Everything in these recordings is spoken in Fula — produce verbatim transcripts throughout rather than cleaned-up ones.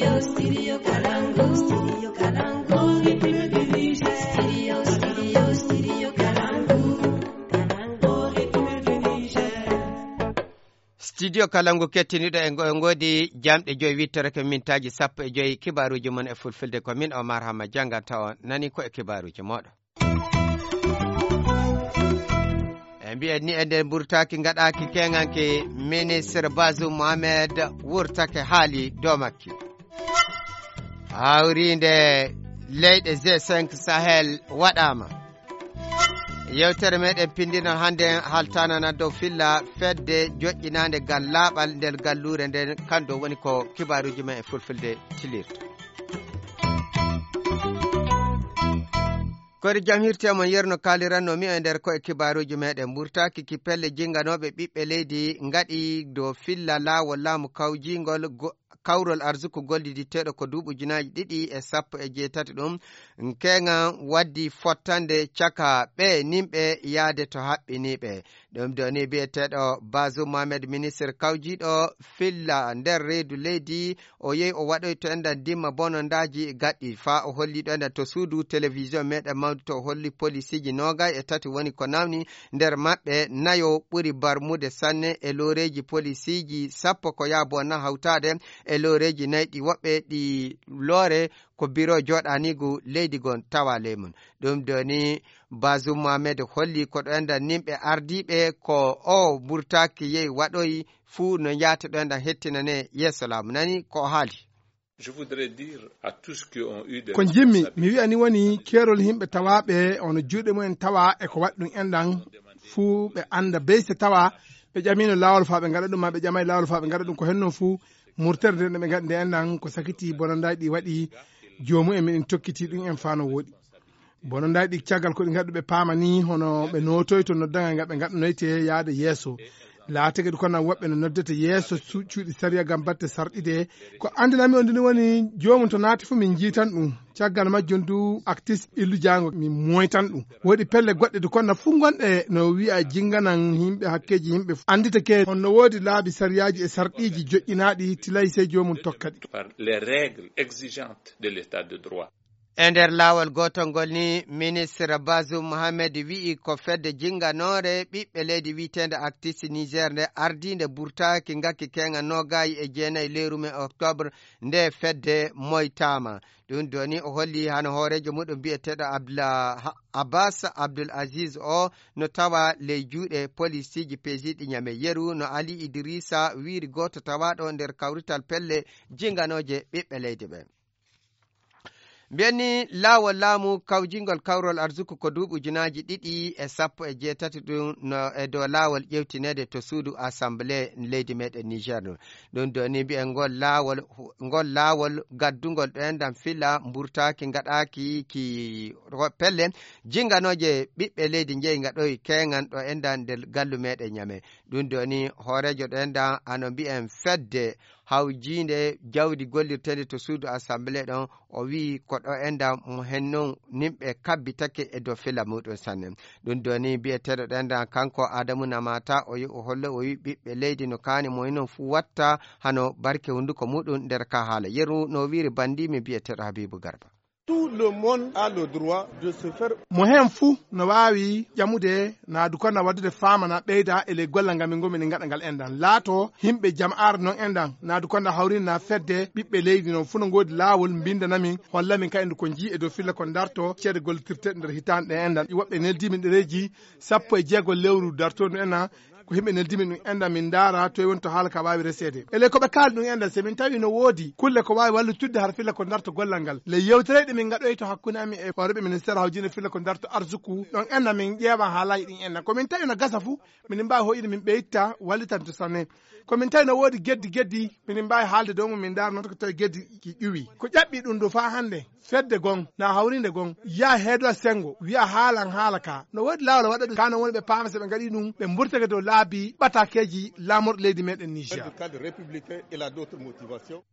Studio Kalangu kettiniiɗo e ngo-, e ngoodi jamɗe joyi, wittorake mintaaji sappo e joyi. Kibaaruuji mon e fulfulde, ko min Omar Hama jannganta on. Nani ko e kibaaruuji mooɗon. E mbiyen ni, e nder mburtaaki ngaɗaaki keŋanke, ministre Bazoum Mohamed wurtake haali dow makki. Hawriinde leyɗe G cinq Sahel waɗaama. Yewtere meɗen pinndinal hannde haltanana dow filla fedde joƴƴinaande gal laaɓal nder galluure nden, kanko woni ko kibaaruuji men e fulfulde tilirta. Koɗi jam hirte mon, yerno kaaliranno mi e nder ko e kibaaruuji meɗen. Mburtaaki ki pelle jinganooɓe ɓiɓɓe leydi ngaɗi dow filla laawol laamu kawjingol go-, kawrol arsuku golliditteeɗo ko duuɓi ujunaaji ɗiɗi e sappo e jeetati ɗum, keŋan waddi fottande caka ɓe nimɓe yaade to haɓɓiniiɓe. Ɗum ɗo ni biyeteeɗo Bazoum Mohamed, ministre kawjiiɗo filla nder reedu leydi, o yehi o waɗoyto enɗan dimma bonondaaji gaɗɗi, faa o holli ɗo enɗan to suudu télévision meɗen mawdu, to o holli polisiiji noogay e tati woni ko nawni, nder maɓɓe nayo ɓuri barmude sanne e looreeji polisiiji sappo ko yaabo na hawtaade e looreeji nayi ɗi woɓɓe ɗi loore ko biro jooɗaniigu leydi gon tawa ley mum. Ɗum ɗo ni Bazoum Mohamed holli ko ɗo enɗan nimɓe ardiiɓe ko o mburtaaki yehi waɗoyi fuu no yaata ɗo enɗan hettinane yeeso laamu. Nani ko o haali. Je voudrais dire à tous ceux qui ont eu des Ko njimmi, mi responsabilités wi'ani woni keerol yimɓe tawaaɓe ono juuɗe mumen tawa e ko waɗi ɗum enɗan fuu ɓe annda beyse tawa ɓe ƴamiino laawol faa ɓe ngaɗa ɗum, maa ɓe ƴamaay laawol faa ɓe ngaɗa ɗum. Ko henno fuu murtere nde ɓe ngaɗi nde enɗan ko sakiti bonondaaji ɗi waɗi joomu'en men tokkiti ɗum en faa no wooɗi. Bonondaaji ɗi caggal ko ɗi ngaɗi ɓe paama ni hono ɓe nootoyto noddagal ngal ɓe ngaɗanoyte yaade yeeso. Laatake ɗi kono woɓɓe no noddete yeeso su-, cuuɗi sariya ngam batte sarɗide. Ko anndinami on ɗum woni joomum to naati fof min njiitan ɗum. Caggal majjum du actis illu jaango min moytan ɗum. Woodi pelle goɗɗe du kono fof gonɗe no wi'a jinganan yimɓe hakkeeji yimɓe fof. Annditake on no woodi laabi sariyaaji e sarɗiiji joƴƴinaaɗi tilay sey joomum tokka ɗi. Par les règles exigeantes de l'état de droit. E nder laawol gootol ngol ni, ministre Bazoum Mohamed wi'i ko fedde jinnganoore ɓiɓɓe leydi wi'eteende Actis Niger nde ardiinde burtaaki ngakki keeŋa noogaayi e jeenayi lewru men octobre nde fedde moytaama. Ɗum ɗo ni o holli hano hooreejo muɗum bi'eteeɗo Abla-, Ha-, Abbas Abdul Aziz o no tawa ley juuɗe polisiiji peesiiɗi Ñame. Yeru no Ali Idrissa wiiri gooto tawaaɗo nder kawrital pelle jinnganooje ɓiɓɓe leydi ɓe. Mbiyen ni laawol laamu kawjingol kawrol arsuku ko duuɓi ujunaaji ɗiɗi e sappo e jeetati ɗum no e dow laawol ƴewtineede to suudu Assemblée leydi meɗen Niger ɗum. Ɗum ɗo ni mbiyen ngol laawol, ngol laawol gaddungol ɗo enɗan fila mburtaaki ngaɗaaki ki ro-, pelle jinnganooje ɓiɓɓe leydi njeyi ngaɗoyi keeŋan ɗo enɗan nder gallu meɗen Ñame. Ɗum ɗo ni hooreejo ɗo enɗan ano mbiyen fedde hawjiinde jawdi gollirteende to suudu Assemblée ɗon, o wi'i ko ɗo enɗan mo hen non nimɓe kabbitake e dow fila muɗum sanne. Ɗum ɗo ni bi'eteeɗo ɗo enɗan kanko Adamu Namata, o yi-, o hollo, o wi'i ɓiɓɓe leydi no kaani mo hinon fuu watta hano barke hunnduko muɗum nder ka haala. Yeru no wiiri banndi mi bi'eteeɗo Habibu Garba. Tout le monde a le droit de se faire. Mo heen fuu no waawi ƴamude naadu konda waɗdude faamana ɓeyda e ley gollal ngal min ngoni ngaɗa ngal enɗan. Laato yimɓe jama'aare non enɗan, naadu konda hawrinde na fedde ɓiɓɓe leydi non fuu no ngoodi laawol mbinnda na min, holla min kadi ko nji e dow filla ko darto ceede gollitirteeɗe nder hitaande ɗe enɗan. Woɓɓe neldi min ɗereeji sappo e jeego lewru dartoondu enɗan, ko yimɓe neldi min ɗum enɗan min ndaara toy woni to haala ka waawi reseede. E ley ko ɓe kaali ɗum enɗan, so min tawi no woodi kulle ko waawi wallitudde har filla ko darto gollal ngal. Ley yewtereeji ɗe min ngaɗoyi to hakkunde amin e hooreeɓe ministère hawjinde filla ko darto arsuku, ɗon enɗan min ƴeewa haalaaji ɗin enɗan. Ko min tawi no gasa fuu, minin mbaawi hoyɗinde min ɓeyta wallitanto sanne. Ko min tawi no woodi geddi geddi, minin mbaawi haalde dow mum min ndaara noon ko tawi geddi ki ƴuwi. Ko ƴaɓɓi ɗum ɗo faa hannde. Fedde gon, na hawrinde gon, yaa heedo senngo, wi'a haalan haala ka. No woodi laawol waɗa ɗum, ka non woni ɓe paama so ɓe ngaɗi ɗum, ɓe mburtake dow laabi ɓatakeeji laamorɗo leydi meɗen Niger. Dans le cadre républicain, il a d'autres motivations.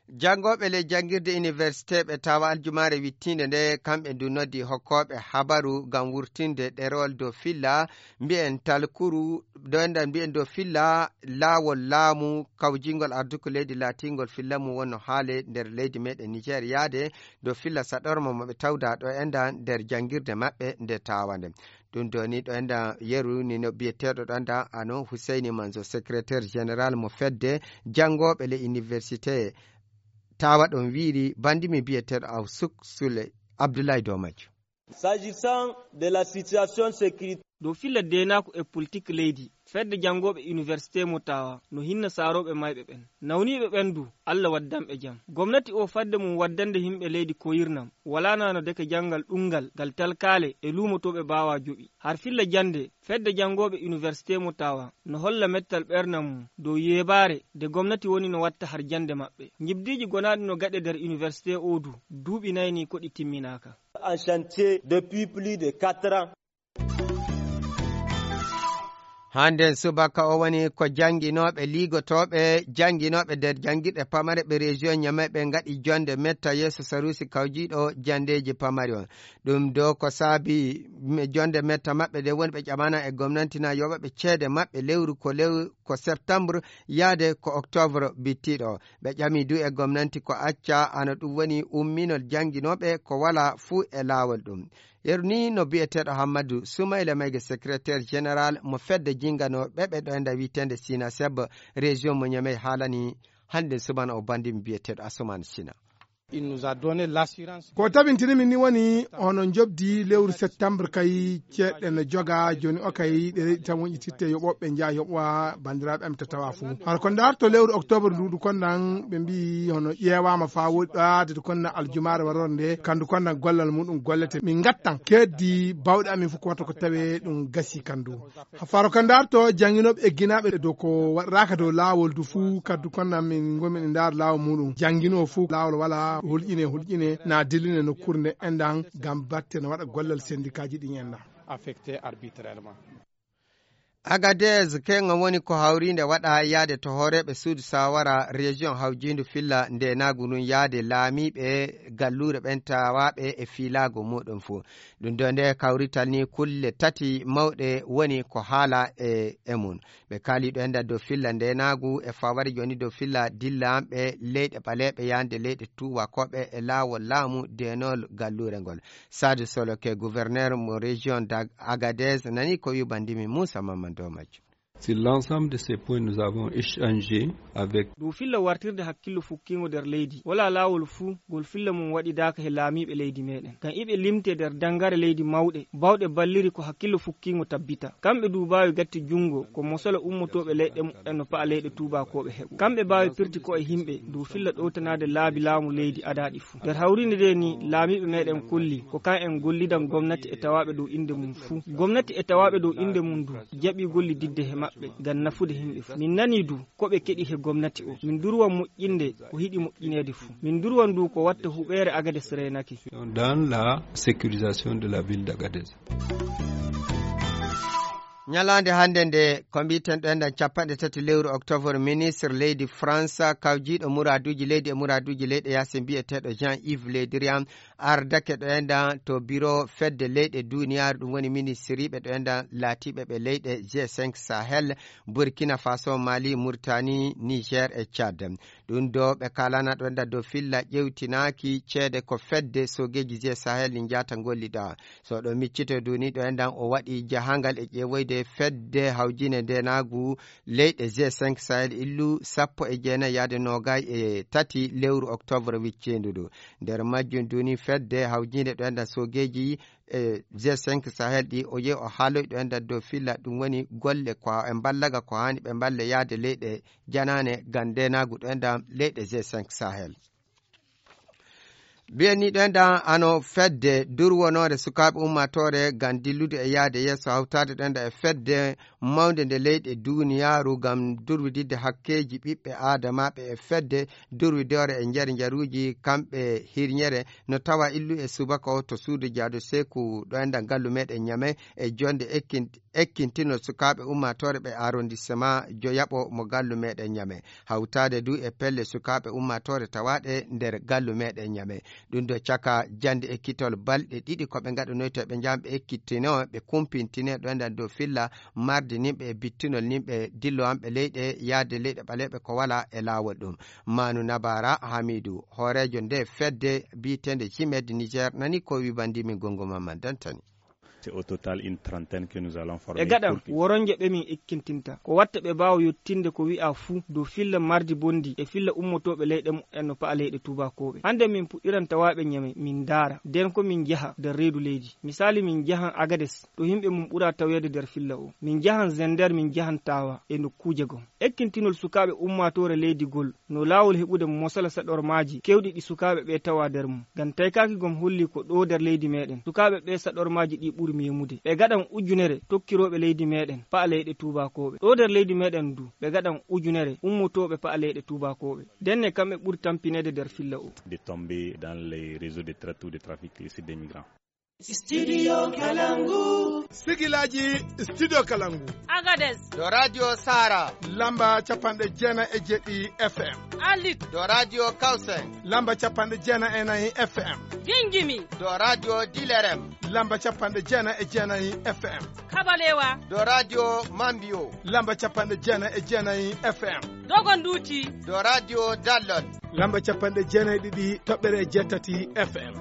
Janngooɓe ley janngirde iniwersite ɓe tawa aljumaare wittiinde nde, kamɓe ndu noddi hokkooɓe habaru ngam wurtinde ɗerewol dow filla, mbiyen talkuru, ɗo enɗan mbiyen dow filla laawol laamu kawjingol arduko leydi laatingol filla mum wonno haale nder leydi meɗen Niger yaade dow filla saɗorma mo ɓe tawda ɗo enɗan nder janngirde maɓɓe nde tawa nde. Ɗum ɗo ni ɗo enɗan yeru ni no biyeteeɗo ɗo enɗan ano Husseini Manzo, secrétaire général mo fedde janngooɓe le université tawa ɗon wiiri bandimi biyeteeɗo Awsuk Sule Abdoulaye Domajo. S'agissant de la situation sécuritaire. Dow filla deenaaku e politik leydi, fedde janngooɓe iniwersite mo tawa no hinna saarooɓe mayɓe ɓen. Nawniiɓe ɓen du, Alla waddanɓe jam. Gomnati o fadde mum waddande yimɓe leydi koyirnam, walaa na no deke janngal ɗunngal ngal talkaale e luumotooɓe baawaa joɓi. Har filla jannde, fedde janngooɓe iniwersite mo tawa no holla mettal ɓernam mum dow yeebaare de gomnati woni no watta har jannde maɓɓe. Njibdiiji gonaaɗi no gaɗe nder iniwersite o du, duuɓi nay ni ko ɗi timminaaka. En chantier depuis plus de quatre ans. Hannden subaka o woni ko jannginooɓe, liigotooɓe, jannginooɓe nder janngirɗe pamare ɓe région Niamey ɓe ngaɗi jonnde metta yeeso saruusi kawjiiɗo janndeeji pamari on. Ɗum do ko saabi me-, jonnde metta maɓɓe nde woni ɓe ƴamana e gomnanti na yoɓa ɓe ceede maɓɓe lewru ko lew-, ko septembre yaade ko octobre bittiiɗo. Ɓe ƴami du e gomnanti ko acca, ano ɗum woni umminol jannginooɓe ko wala fuu e laawol ɗum. Yeru ni no biyeteeɗo Hammadu Sumayla Mayga, secrétaire général mo fedde jinngano ɓe ɓe ɗo enda wiyeteende Sina Seb, région mo Niamey haalani hannde subana o bandimi biyeteeɗo Asuman Sina. Il nous a donné l'assurance. Ko tabintini min ni woni hono njobdi lewru septembre kay ceeɗɗe no joga jooni o kay ɗe reɗi tan wonƴititte yoɓoɓe njeya yoɓowa banndiraaɓe am to tawa fuu. Hara ko ndaarto lewru octobre ndu du kon nan ɓe mbi hono ƴeewaama faa woɗɗaade du kon nan aljumaare warore nde kandu kon nan gollal muɗum gollete min ngattan keddi bawɗe amin fof ko watta ko tawe ɗum gasi kandu. Faro ka ndarto jannginooɓe egginaaɓe dow ko waɗiraaka dow laawol du fuu kaddu kon nan min ngomin e ndaar laawol muɗum. Janngino fuu laawol wala hulƴine, hulƴine na dilline nokkuure nde enɗan ngam batte no waɗa gollal sendikaaji ɗin enɗan. Affecté arbitrairement. Agadez, kenga woni ko hawriinde waɗa yaade to hooreeɓe suudu sawara région hawjiindu filla ndenaagu ndun yaade laamiiɓe galluure ɓen tawaaɓe e fiilaago muɗum fuu. Ɗum ɗo nde kawrital ni kulle tati mawɗe woni ko haala e, e mum. Ɓe kaali ɗo enɗan dow filla ndenaagu e fawari jooni dow filla dillanɓe leyɗe ɓaleeɓe yaande leyɗe tuubakooɓe e laawol laamu deenol galluure ngol. Sadio Soloke, gouverneur mo région d'Ag-, Agadez, nani ko wi bandimi Moussa Mamadou Mamadou. Sur l'ensemble de ces points, nous avons échangé avec. Dow filla wartirde hakkillo fukkiingo nder leydi, wala laawol fuu ngol filla mum waɗidaaka he laamiiɓe leydi meɗen. Ngam iɓe limte nder dangare leydi mawɗe, bawɗe balliri ko hakkillo fukkiingo tabbita. Kamɓe du baawi gatti junngo ko mosolo ummotooɓe leyɗe muɓɓen no pa'a leyɗe tuubakooɓe heɓo. Kamɓe baawi pirti ko e yimɓe dow filla ɗowtanaade laabi laamu leydi adaaɗi fuu. Nder hawriinde nde ni, laamiiɓe meɗen kolli ko kan en gollidan gomnati e tawaaɓe dow innde mum fuu. Gomnati e tawaaɓe dow innde mum du jaɓi gollididde he maɓɓe ngam nafude yimɓe fuu. Min nani du ko ɓe keɗi he gomnati o. Min durwan moƴƴinde ko hiɗi moƴƴineede fuu. Min durwan du ko watta huɓeere Agades reenake. Dans la sécurisation de la ville d'Agadez. Ñalaande hannde nde, ko mbiiten ɗo enɗan capanɗe tati lewru octobre, ministre leydi France kawjiiɗo muraaduuji leydi e muraaduuji leyɗe yaasi mbiyeteeɗo Jean-Yves Le Drian ardake ɗo enɗan to biro fedde leyɗe duniyaaru, ɗum woni ministiriiɓe ɗo enɗan laatiiɓe ɓe leyɗe G cinq Sahel, Burkina Faso, Mali, Mauritanie, Niger e Tchad. Ɗum ɗo ɓe kaalana ɗo enɗan dow filla ƴewtinaaki ceede ko fedde soogeeji G Sahel ɗi njaata ngollida. So ɗo miccito duni ɗo enɗan o waɗi jahangal e ƴeewoyde fedde hawjine ndenaagu leyɗe G cinq Sahel illu sappo e jeenayi yaade noogay e tati lewru octobre wicciindu ndu. Nder majjum duni fedde hawjinde ɗo enɗan soogeeji e G cinq Sahel ɗi o yehi o haaloyi ɗo enɗan dow filla ɗum woni golle ko e mballaga ko haani ɓe mballe yaade leyɗe janaane ngam ndenaagu ɗo enɗan leyɗe G cinq Sahel. Mbiyen ni ɗoen ɗan ano fedde durwonoore sukaaɓe ummaatoore ngam dillude e yahde yeeso hawtaade ɗoen ɗan e fedde mawnde nde leyɗe duuniyaaru ngam durwididde hakkeeji ɓiɓɓe aadamaaɓe e fedde durwidoore e njari njaruuji kamɓe hirñere no tawa illu e subaka o to suudu jaadu seeku ɗoen ɗan ngallu meɗen Ñame e jonnde ekkin- ekkintinol sukaaɓe ummaatoore ɓe arrondissement joyaɓo mo ngallu meɗen Ñame. Hawtaade du e pelle sukaaɓe ummaatoore tawaaɗe nder ngallu meɗen Ñame. Ɗum ɗo caka jannde ekkitol balɗe ɗiɗi ko ɓe ngaɗanoyta ɓe njaham ɓe ekkittino ɓe kumpintine ɗoen ɗan dow filla mardi nimɓe e bittinol nimɓe dillowanɓe leyɗe yahde leyɗe ɓaleeɓe ko wala e laawol ɗum. Manu Nabara Hamidu, hooreejo nde fedde biyeteende Cimed Niger, nani ko wi banndi min Gongo Mamman Dantani. C'est au total une trentaine que nous allons former. E gaɗan pour que woronje ɓe min ekkintinta ko watta ɓe mbaawa yottinde ko wi'a fuu dow filla mardi bonndi e filla ummotooɓe leyɗe muɓɓen no pa'a leyɗe tuubakooɓe. Hannde min puɗɗiran tawaaɓe Ñame min ndaara nden ko min njaha nder reedu leydi. Misaali min njahan Agades ɗo yimɓe mum ɓura taweede nder filla o. Min njahan Zender, min njahan Tawa e nokkuuje gom. Ekkintinol sukaaɓe ummaatoore leydi gol no laawol heɓude mosala saɗormaaji keewɗi ɗi sukaaɓe ɓee tawa nder mum. Ngam taykaaki gom holli ko ɗoo nder leydi meɗen sukaaɓe ɓee saɗormaaji ɗi ɓuri meemude. Ɓe gaɗan ujunere tokkirooɓe leydi meɗen pa'a leyɗe tuubakooɓe. Ɗoo nder leydi meɗen du ɓe gaɗan ujunere ummotooɓe pa'a leyɗe tuubakooɓe. Ndenne kamɓe ɓuri tampineede nder filla o. De tomber dans les réseaux de traite ou de trafic illicite des migrants. Studio Kalangu. Sigilaji Studio Kalangu. Agadez. Do Radio Sara. Lamba capanɗe jeenayi e jeɗɗi F M. Alit. Do Radio Kausen. Lamba capanɗe jeenayi e nayi F M. Gingimi. Do Radio Dilerem. Lamba capanɗe jeenayi e jeenayi F M. Kabalewa. Do Radio Mambio. Lamba capanɗe jeenayi e jeenayi F M. Dogonduti. Do Radio Dallon. Lamba capanɗe jeenayi e ɗiɗi toɓɓere e jeetati F M.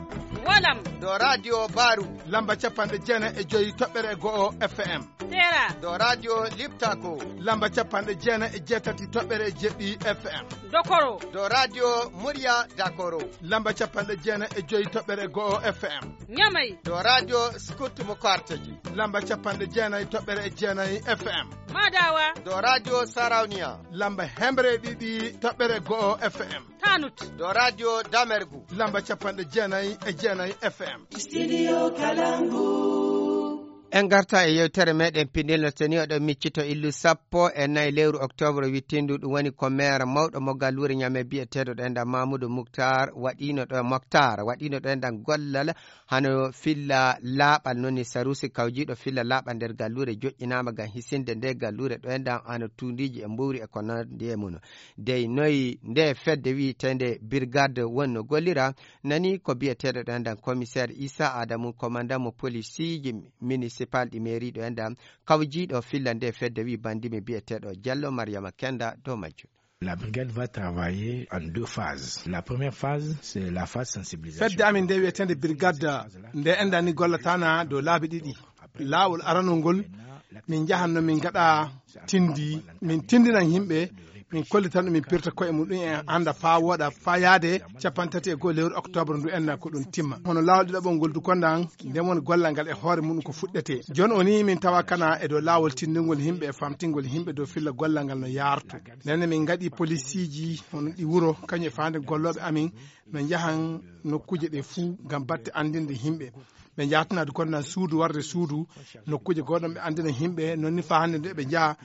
Walam. Do Radio Baru. Lamba capanɗe jeenayi e joyi toɓɓere e go'o F M. Tera. Do Radio Liptako. Lamba capanɗe jeenayi e jeetati toɓɓere e jeɗɗi F M. Dokoro. Do Radio Murya Dakoro. Lamba capanɗe jeenayi e joyi toɓɓere e go'o F M. Ñamay. Do Radio Scout mo Karteji. Lamba capanɗe jeenayi toɓɓere e jeenayi F M. Madawa. Do Radio Sarauniya. Lamba hemre e ɗiɗi toɓɓere go'o F M. Tanut. Do Radio Damergu. Lamba capanɗe jeenayi e jeenayi F M. Studio Kalangu. En ngarta e yewtere meɗen pinel no teni oɗo miccito illu sappo e nayi lewru octobre wittindu ɗum woni ko maire mawɗo mo galluure Ñame biyeteeɗo ɗoen ɗan Mamoudou Moutar waɗino ɗo Moctar waɗino ɗoen ɗan gollal hano filla laaɓal noni sarusi kawjiiɗo filla laaɓal nder galluure joƴƴinaama ngam hisinde nde galluure ɗoen ɗan hano tuundiiji e mbowri e ko nandi e mum. Dey noyi nde fedde wiyeteende brigade wonno gollira nani ko biyeteeɗo ɗoen ɗan commissaire Issa Adamu commandant mo polisiiji municipal ɗi mairie ɗoen ɗan kawjiiɗo filla nde fedde wi bandimi biyeteeɗo Diallo Mariama Kenda dow majjum. La brigade va travailler en deux phases. La première phase, c'est la phase sensibilisation. Fedde amin nde wiyetende brigade nde enɗan ni gollatana dow laabi ɗiɗi. Laawol aranol ngol min njahanno min ngaɗa tindi min tindinan yimɓe min kollitan ɗum min pirta koye mum ɗum en annda faa wooɗa faa yaade capanɗe tati e goho lewru octobre ndu enna ko ɗum timma. Hono laawol ɗiɗaɓol ngol du kondan nden woni gollal ngal e hoore mum ko fuɗɗete. Jooni o ni min tawa kana e dow laawol tindingol yimɓe e famtingol yimɓe dow filla gollal ngal no yaarto. Nden min ngaɗi polisiiji hono ɗi wuro kañum e faande gollooɓe amin no njahan nokkuuje ɗe fuu ngam batte anndinde yimɓe. Ɓe njahatana du kondan suudu warde suudu nokkuuje gooɗon ɓe anndina yimɓe noon ni faa hannde nde ɓe njaha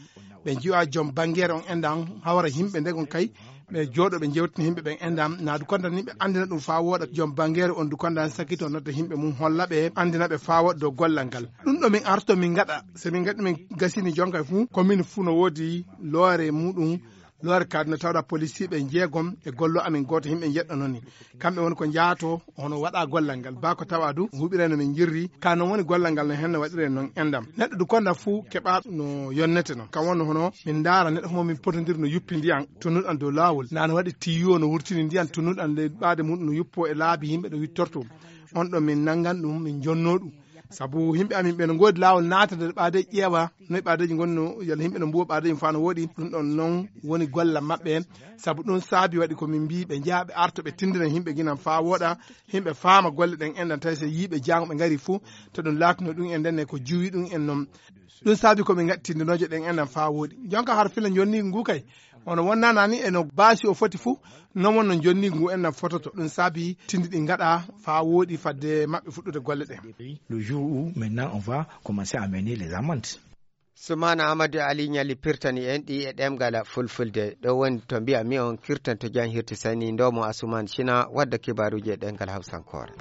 ɓe njiwa joom banngeere on enɗan hawra yimɓe ndegon kay ɓe jooɗo ɓe jewtina yimɓe ɓen enɗan naadu kondan ni ɓe anndina ɗum faa wooɗa joom banngeere on du kondan sakito nodda yimɓe mum holla ɓe anndina ɓe faa wooɗa dow gollal ngal. Ɗum ɗo min arto min ngaɗa so min ngaɗi min gasini jonka fuu commune fuu no woodi loore muɗum loore kaadi no tawɗa polisiiɓe jeegom e gollo amin gooto yimɓe njeɗɗo noon ni kamɓe woni ko njaato hono waɗa gollal ngal ba ko tawa du huɓireno min jirri ka noon woni gollal ngal no henne waɗire noon enɗam neɗɗo du konda fuu keɓa no yonnete noon kam wonno hono min ndaara neɗɗo homo min potondir no yuppi ndiyan tunnuɗan dow laawol na no waɗi tiyo no wurtini ndiyan tunnuɗan ley ɓaade mum no yuppo e laabi yimɓe ɗo wittorto on ɗo min nanngan ɗum min jonno ɗum sabu yimɓe amin ɓe no ngoodi laawol naata nder ɓaade ƴeewa noy ɓaadeeji ngonno yalla yimɓe no mbuwa ɓaadeeji faa no wooɗi ɗum ɗon noon woni golla maɓɓe sabu ɗum saabi waɗi ko min mbii ɓe njaha ɓe arto ɓe tindina yimɓe ginan faa wooɗa yimɓe faama golle ɗen enɗan tawi so yii ɓe jaango ɓe ngari fuu to ɗum laatino ɗum en ndenne ko juwi ɗum en noon ɗum saabi ko min ngaɗi tindinooje ɗen enɗan faa wooɗi jonka har fila jonni ngu kay Hono wonnanani e no baasi o foti fuu, non wonno jonni ngu en fototo. Ɗum saabi tindi ɗi ngaɗa faa wooɗi fadde maɓɓe fuɗɗude golle ɗen. Le jour où maintenant on va commencer à mener les amendes. Sumana Amadou Ali ñali pirtani en ɗi e ɗemgal fulfulde. Ɗo woni to mbiya mi on kirtanto jan hirti sani ndomo Asuman Sina wadda kibaruji e ɗemgal hawsankore.